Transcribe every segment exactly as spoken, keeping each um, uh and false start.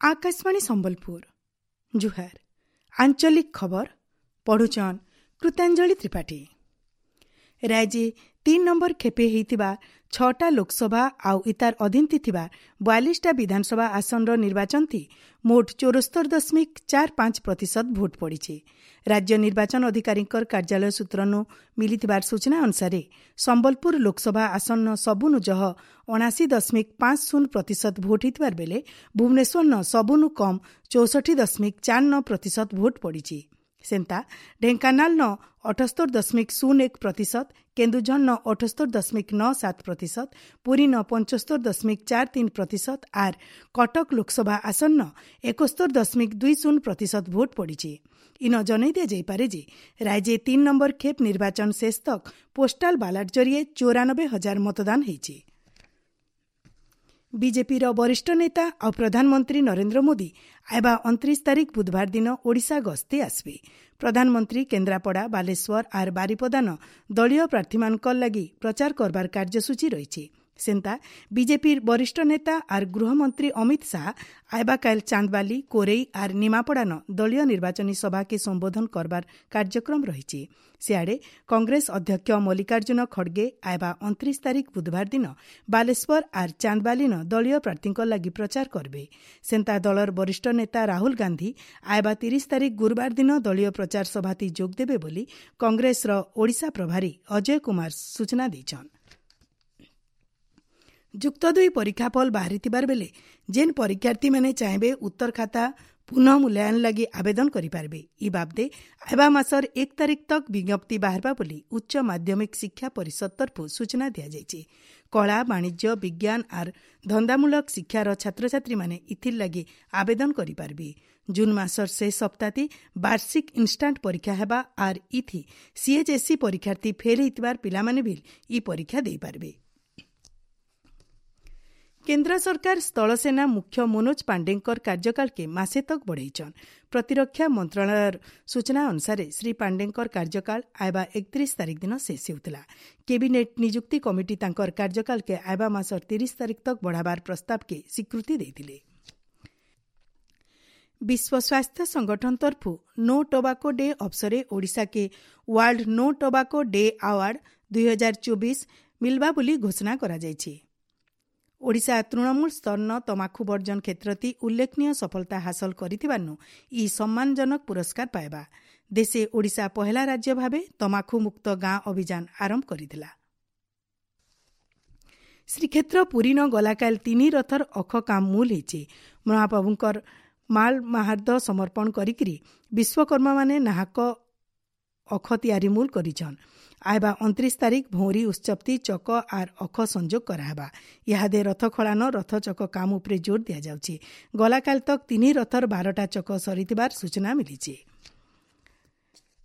ଆକାଶବାଣୀ ସମ୍ବଲପୁର ଜୁହାର ଆଞ୍ଚଳିକ ଖବର ପଢୁଛନ୍ କୃତାଞ୍ଜଳି ତ୍ରିପାଠୀ ରାଜ୍ୟେ ତିନ୍ ନମ୍ବର ଖେପେ ହେଇଥିବା ଛଅଟା ଲୋକସଭା ଆଉ ଇତାର ଅଧୀନତି ଥିବା ବୟାଳିଶଟା ବିଧାନସଭା ଆସନର ନିର୍ବାଚନଥି ମୋଟ ଚଉସ୍ତରି ଦଶମିକ ଚାର ପାଞ୍ଚ ପ୍ରତିଶତ ଭୋଟ ପଡ଼ିଛି ରାଜ୍ୟ ନିର୍ବାଚନ ଅଧିକାରୀଙ୍କର କାର୍ଯ୍ୟାଳୟ ସୂତ୍ରନୁ ମିଳିଥିବାର ସୂଚନା ଅନୁସାରେ ସମ୍ବଲପୁର ଲୋକସଭା ଆସନ ସବୁନୁ ଜହ ଅଣାଅଶୀ ଦଶମିକ ପାଞ୍ଚ ଶୂନ ପ୍ରତିଶତ ଭୋଟ ହେଇଥିବାର ବେଲେ ଭୁବନେଶ୍ୱରନ ସବୁନୁ କମ୍ ଚଉଷଠି ଦଶମିକ ଚାର ନଅ ପ୍ରତିଶତ ଭୋଟ ପଡ଼ିଛି ସେନ୍ତା ଢେଙ୍କାନାଳନ ଅଠସ୍ତରି ଦଶମିକ ଶୂନ ଏକ ପ୍ରତିଶତ କେନ୍ଦୁଝରନ ଅଠସ୍ତରି ଦଶମିକ ନଅ ସାତ ପ୍ରତିଶତ ପୁରୀନ ପଞ୍ଚସ୍ତରି ଦଶମିକ ଚାର ତିନି ପ୍ରତିଶତ ଆର୍ କଟକ ଲୋକସଭା ଆସନ୍ନ ଏକସ୍ତରି ଦଶମିକ ଦୁଇ ଶୂନ ପ୍ରତିଶତ ଭୋଟ ପଡ଼ିଛି ଇନ ଜଣାଇ ଦିଆଯାଇପାରେ ଯେ ରାଜ୍ୟେ ତିନ୍ ନମ୍ବର ଖେପ୍ ନିର୍ବାଚନ ଶେଷ ତକ୍ ପୋଷ୍ଟାଲ ବାଲାଟ ଜରିଏ ଚଉରାନବେ ହଜାର ମତଦାନ ହେଇଛି ବିଜେପିର ବରିଷ୍ଠ ନେତା ଆଉ ପ୍ରଧାନମନ୍ତ୍ରୀ ନରେନ୍ଦ୍ର ମୋଦି ଆଇବା ଅଣତିରିଶ ତାରିଖ ବୁଧବାର ଦିନ ଓଡ଼ିଶା ଗସ୍ତେ ଆସିବେ ପ୍ରଧାନମନ୍ତ୍ରୀ କେନ୍ଦ୍ରାପଡ଼ା ବାଲେଶ୍ୱର ଆର୍ ବାରିପଦାନ ଦଳୀୟ ପ୍ରାର୍ଥୀମାନଙ୍କ ଲାଗି ପ୍ରଚାର କରବାର କାର୍ଯ୍ୟସୂଚୀ ରହିଛି ସେନ୍ତା ବିଜେପିର ବରିଷ୍ଠ ନେତା ଆର୍ ଗୃହମନ୍ତ୍ରୀ ଅମିତ ଶାହ ଆଇବାକାଇଲ ଚାନ୍ଦବାଲି କୋରେଇ ଆର୍ ନିମାପଡ଼ାନ ଦଳୀୟ ନିର୍ବାଚନୀ ସଭାକେ ସମ୍ବୋଧନ କରବାର କାର୍ଯ୍ୟକ୍ରମ ରହିଛି ସିଆଡ଼େ କଂଗ୍ରେସ ଅଧ୍ୟକ୍ଷ ମଲ୍ଲିକାର୍ଜୁନ ଖଡ଼ଗେ ଆଇବା ଅଣତିରିଶ ତାରିଖ ବୁଧବାର ଦିନ ବାଲେଶ୍ୱର ଆର୍ ଚାନ୍ଦବାଲିନ ଦଳୀୟ ପ୍ରାର୍ଥୀଙ୍କ ଲାଗି ପ୍ରଚାର କରିବେ ସେନ୍ତା ଦଳର ବରିଷ୍ଠ ନେତା ରାହୁଲ ଗାନ୍ଧୀ ଆଇବା ତିରିଶ ତାରିଖ ଗୁରୁବାର ଦିନ ଦଳୀୟ ପ୍ରଚାର ସଭାତି ଯୋଗ ଦେବେ ବୋଲି କଂଗ୍ରେସର ଓଡ଼ିଶା ପ୍ରଭାରୀ ଅଜୟ କୁମାର ସୂଚନା ଦେଇଛନ୍ ଯୁକ୍ତ ଦୁଇ ପରୀକ୍ଷାଫଳ ବାହାରିଥିବାର ବେଲେ ଯେନ୍ ପରୀକ୍ଷାର୍ଥୀମାନେ ଚାହିଁବେ ଉତ୍ତର ଖାତା ପୁନଃ ମୂଲ୍ୟାୟନ ଲାଗି ଆବେଦନ କରିପାରିବେ ଇ ବାବଦେ ଆଇବା ମାସର ଏକ ତାରିଖ ତକ୍ ବିଜ୍ଞପ୍ତି ବାହାରବା ବୋଲି ଉଚ୍ଚ ମାଧ୍ୟମିକ ଶିକ୍ଷା ପରିଷଦ ତରଫରୁ ସୂଚନା ଦିଆଯାଇଛି କଳା ବାଣିଜ୍ୟ ବିଜ୍ଞାନ ଆର୍ ଧନ୍ଦାମୂଳକ ଶିକ୍ଷାର ଛାତ୍ରଛାତ୍ରୀମାନେ ଇଥିର୍ ଲାଗି ଆବେଦନ କରିପାରିବେ ଜୁନ୍ ମାସର ଶେଷ ସପ୍ତାହତି ବାର୍ଷିକ ଇନ୍ଷ୍ଟାଣ୍ଟ ପରୀକ୍ଷା ହେବା ଆର୍ ଇଥି ସିଏଚ୍ଏସ୍ଇ ପରୀକ୍ଷାର୍ଥୀ ଫେଲ୍ ହେଇଥିବାର ପିଲାମାନେ ବି ଇ ପରୀକ୍ଷା ଦେଇପାରିବେ କେନ୍ଦ୍ର ସରକାର ସ୍ଥଳସେନା ମୁଖ୍ୟ ମନୋଜ ପାଣ୍ଡେଙ୍କର କାର୍ଯ୍ୟକାଳକେ ମାସେ ତକ୍ ବଢ଼େଇଛନ୍ ପ୍ରତିରକ୍ଷା ମନ୍ତ୍ରଣାଳୟର ସୂଚନା ଅନୁସାରେ ଶ୍ରୀ ପାଣ୍ଡେଙ୍କର କାର୍ଯ୍ୟକାଳ ଆଇବା ଏକତିରିଶ ତାରିଖ ଦିନ ଶେଷ ହେଉଥିଲା କ୍ୟାବିନେଟ୍ ନିଯୁକ୍ତି କମିଟି ତାଙ୍କର କାର୍ଯ୍ୟକାଳକେ ଆଇବା ମାସର ତିରିଶ ତାରିଖ ତକ୍ ବଢ଼ାବାର ପ୍ରସ୍ତାବକେ ସ୍ୱୀକୃତି ଦେଇଥିଲେ ବିଶ୍ୱ ସ୍ୱାସ୍ଥ୍ୟ ସଂଗଠନ ତରଫୁ ନୋ ଟୋବାକୋ ଡେ ଅବସରେ ଓଡ଼ିଶାକେ World No Tobacco Day Award ଦୁଇ ହଜାର ଚବିଶ ମିଲବା ବୋଲି ଘୋଷଣା କରାଯାଇଛି ଓଡ଼ିଶା ତୃଣମୂଳ ସ୍ତରନ ତମାଖୁ ବର୍ଜନ କ୍ଷେତ୍ରତି ଉଲ୍ଲେଖନୀୟ ସଫଳତା ହାସଲ କରିଥିବାରୁ ଇ ସମ୍ମାନଜନକ ପୁରସ୍କାର ପାଇବା ଦେଶେ ଓଡ଼ିଶା ପହେଲା ରାଜ୍ୟ ଭାବେ ତମାଖୁ ମୁକ୍ତ ଗାଁ ଅଭିଯାନ ଆରମ୍ଭ କରିଥିଲା ଶ୍ରୀକ୍ଷେତ୍ର ପୁରୀନ ଗଲାକାଲ ତିନି ରଥର ଅଖ କାମ ମୂଲ ହେଇଛି ମହାପ୍ରଭୁଙ୍କର ମାଲ ମାହାର୍ଦ ସମର୍ପଣ କରିକିରି ବିଶ୍ୱକର୍ମାମାନେ ନାହାକ ଅଖ ତିଆରି ମୂଲ କରିଛନ୍ ଆଇବା ଅଣତିରିଶ ତାରିଖ ଭଉଁରୀ ଉତ୍ସବତି ଚକ ଆର୍ ଅଖ ସଂଯୋଗ କରାହେବା ଇହାଦେ ରଥ ଖଳାନ ରଥ ଚକ କାମ ଉପରେ ଜୋର ଦିଆଯାଉଛି ଗଲାକାଲ ତକ୍ ତିନି ରଥର ବାରଟା ଚକ ସରିଥିବାର ସୂଚନା ମିଳିଛି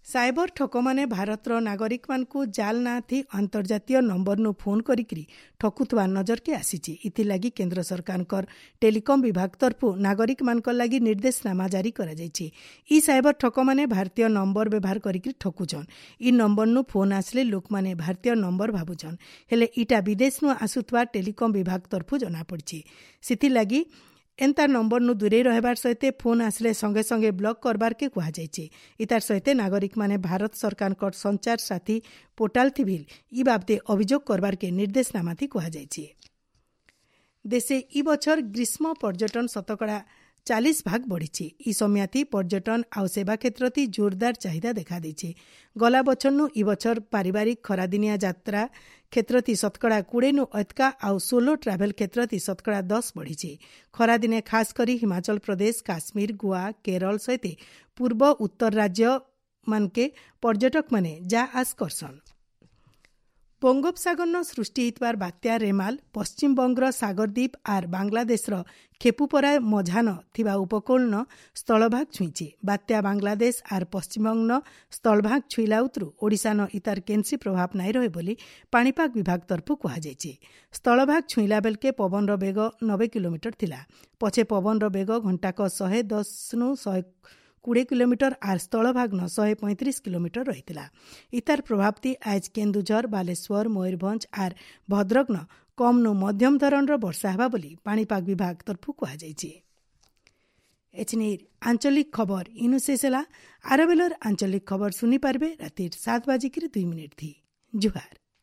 ସାଇବର ଠକମାନେ ଭାରତର ନାଗରିକମାନଙ୍କୁ ଜାଲ ନାଁଥି ଅନ୍ତର୍ଜାତୀୟ ନମ୍ବରନୁ ଫୋନ୍ କରିକିରି ଠକୁଥିବା ନଜରକେ ଆସିଛି ଏଥିଲାଗି କେନ୍ଦ୍ର ସରକାରଙ୍କର ଟେଲିକମ୍ ବିଭାଗ ତରଫରୁ ନାଗରିକମାନଙ୍କ ଲାଗି ନିର୍ଦ୍ଦେଶନାମା ଜାରି କରାଯାଇଛି ଇ ସାଇବର ଠକମାନେ ଭାରତୀୟ ନମ୍ବର ବ୍ୟବହାର କରିକିରି ଠକୁଛନ୍ ଇ ନମ୍ବରନୁ ଫୋନ୍ ଆସିଲେ ଲୋକମାନେ ଭାରତୀୟ ନମ୍ବର ଭାବୁଛନ୍ ହେଲେ ଇଟା ବିଦେଶନୁ ଆସୁଥିବା ଟେଲିକମ୍ ବିଭାଗ ତରଫରୁ ଜଣାପଡ଼ିଛି ସେଥିଲାଗି ଏନ୍ତା ନମ୍ବରନୁ ଦୂରେଇ ରହିବାର ସହିତ ଫୋନ୍ ଆସିଲେ ସଙ୍ଗେ ସଙ୍ଗେ ବ୍ଲକ୍ କରବାରକେ କୁହାଯାଇଛି ଇତାର ସହିତ ନାଗରିକମାନେ ଭାରତ ସରକାରଙ୍କର ସଞ୍ଚାର ସାଥୀ ପୋର୍ଟାଲ ଥିଭିଲ୍ ଇ ବାବଦେ ଅଭିଯୋଗ କରବାରକେ ନିର୍ଦ୍ଦେଶନାମାଥି କୁହାଯାଇଛି ଦେଶେ ଇ ବଛର ଗ୍ରୀଷ୍ମ ପର୍ଯ୍ୟଟନ ଶତକଡ଼ା ଚାଳିଶ ଭାଗ ବଢ଼ିଛି ଇ ସମୟାତି ପର୍ଯ୍ୟଟନ ଆଉ ସେବା କ୍ଷେତ୍ରତି ଜୋରଦାର ଚାହିଦା ଦେଖାଦେଇଛି ଗଲା ବଛରନୁ ଇ ବଛର ପାରିବାରିକ ଖରାଦିନିଆ ଯାତ୍ରା କ୍ଷେତ୍ରତି ଶତକଡ଼ା କୋଡ଼ିଏନୁ ଅତକା ଆଉ ସୋଲୋ ଟ୍ରାଭେଲ କ୍ଷେତ୍ରତି ଶତକଡ଼ା ଦଶ ବଢ଼ିଛି ଖରାଦିନେ ଖାସ କରି ହିମାଚଳ ପ୍ରଦେଶ କାଶ୍ମୀର ଗୋଆ କେରଳ ସହିତ ପୂର୍ବ ଉତ୍ତର ରାଜ୍ୟ ମାନକେ ପର୍ଯ୍ୟଟକମାନେ ଯା ଆସ କରସନ୍ ବଙ୍ଗୋପସାଗରନ ସୃଷ୍ଟି ହେଇଥିବାର ବାତ୍ୟା ରେମାଲ ପଶ୍ଚିମବଙ୍ଗର ସାଗରଦ୍ୱୀପ ଆର୍ ବାଂଲାଦେଶର ଖେପୁପରା ମଝାନ ଥିବା ଉପକୂଳନ ସ୍ଥଳଭାଗ ଛୁଇଁଛି ବାତ୍ୟା ବାଂଲାଦେଶ ଆର୍ ପଶ୍ଚିମବଙ୍ଗ ସ୍ଥଳଭାଗ ଛୁଇଁଲା ଉତରୁ ଓଡ଼ିଶାନ ଇତାର କେନ୍ସି ପ୍ରଭାବ ନାଇଁ ରହେ ବୋଲି ପାଣିପାଗ ବିଭାଗ ତରଫରୁ କୁହାଯାଇଛି ସ୍ଥଳଭାଗ ଛୁଇଁଲା ବେଲକେ ପବନର ବେଗ ନବେ କିଲୋମିଟର ଥିଲା ପଛେ ପବନର ବେଗ ଘଣ୍ଟାକ ଶହେ ଦଶନୁ ଶହେ କୋଡ଼ିଏ କିଲୋମିଟର ଆର୍ ସ୍ଥଳଭାଗ୍ନ ଶହେ ପଇଁତିରିଶ କିଲୋମିଟର ରହିଥିଲା ଇତାର ପ୍ରଭାବତି ଆଜ୍ କେନ୍ଦୁଝର ବାଲେଶ୍ୱର ମୟୂରଭଞ୍ଜ ଆର୍ ଭଦ୍ରକନ କମ୍ନୁ ମଧ୍ୟମ ଧରଣର ବର୍ଷା ହେବା ବୋଲି ପାଣିପାଗ ବିଭାଗ ତରଫରୁ କୁହାଯାଇଛି ଏଛିନିର ଆଞ୍ଚଳିକ ଖବର ଇନୁ ଶେଷ ହେଲା। ଆର ବେଲର ଆଞ୍ଚଳିକ ଖବର ଶୁନି ପାରବେ ରାତିର ସାତ ବାଜିକିରି ଦୁଇ ମିନିଟ୍ ଥି। ଜୁହାର।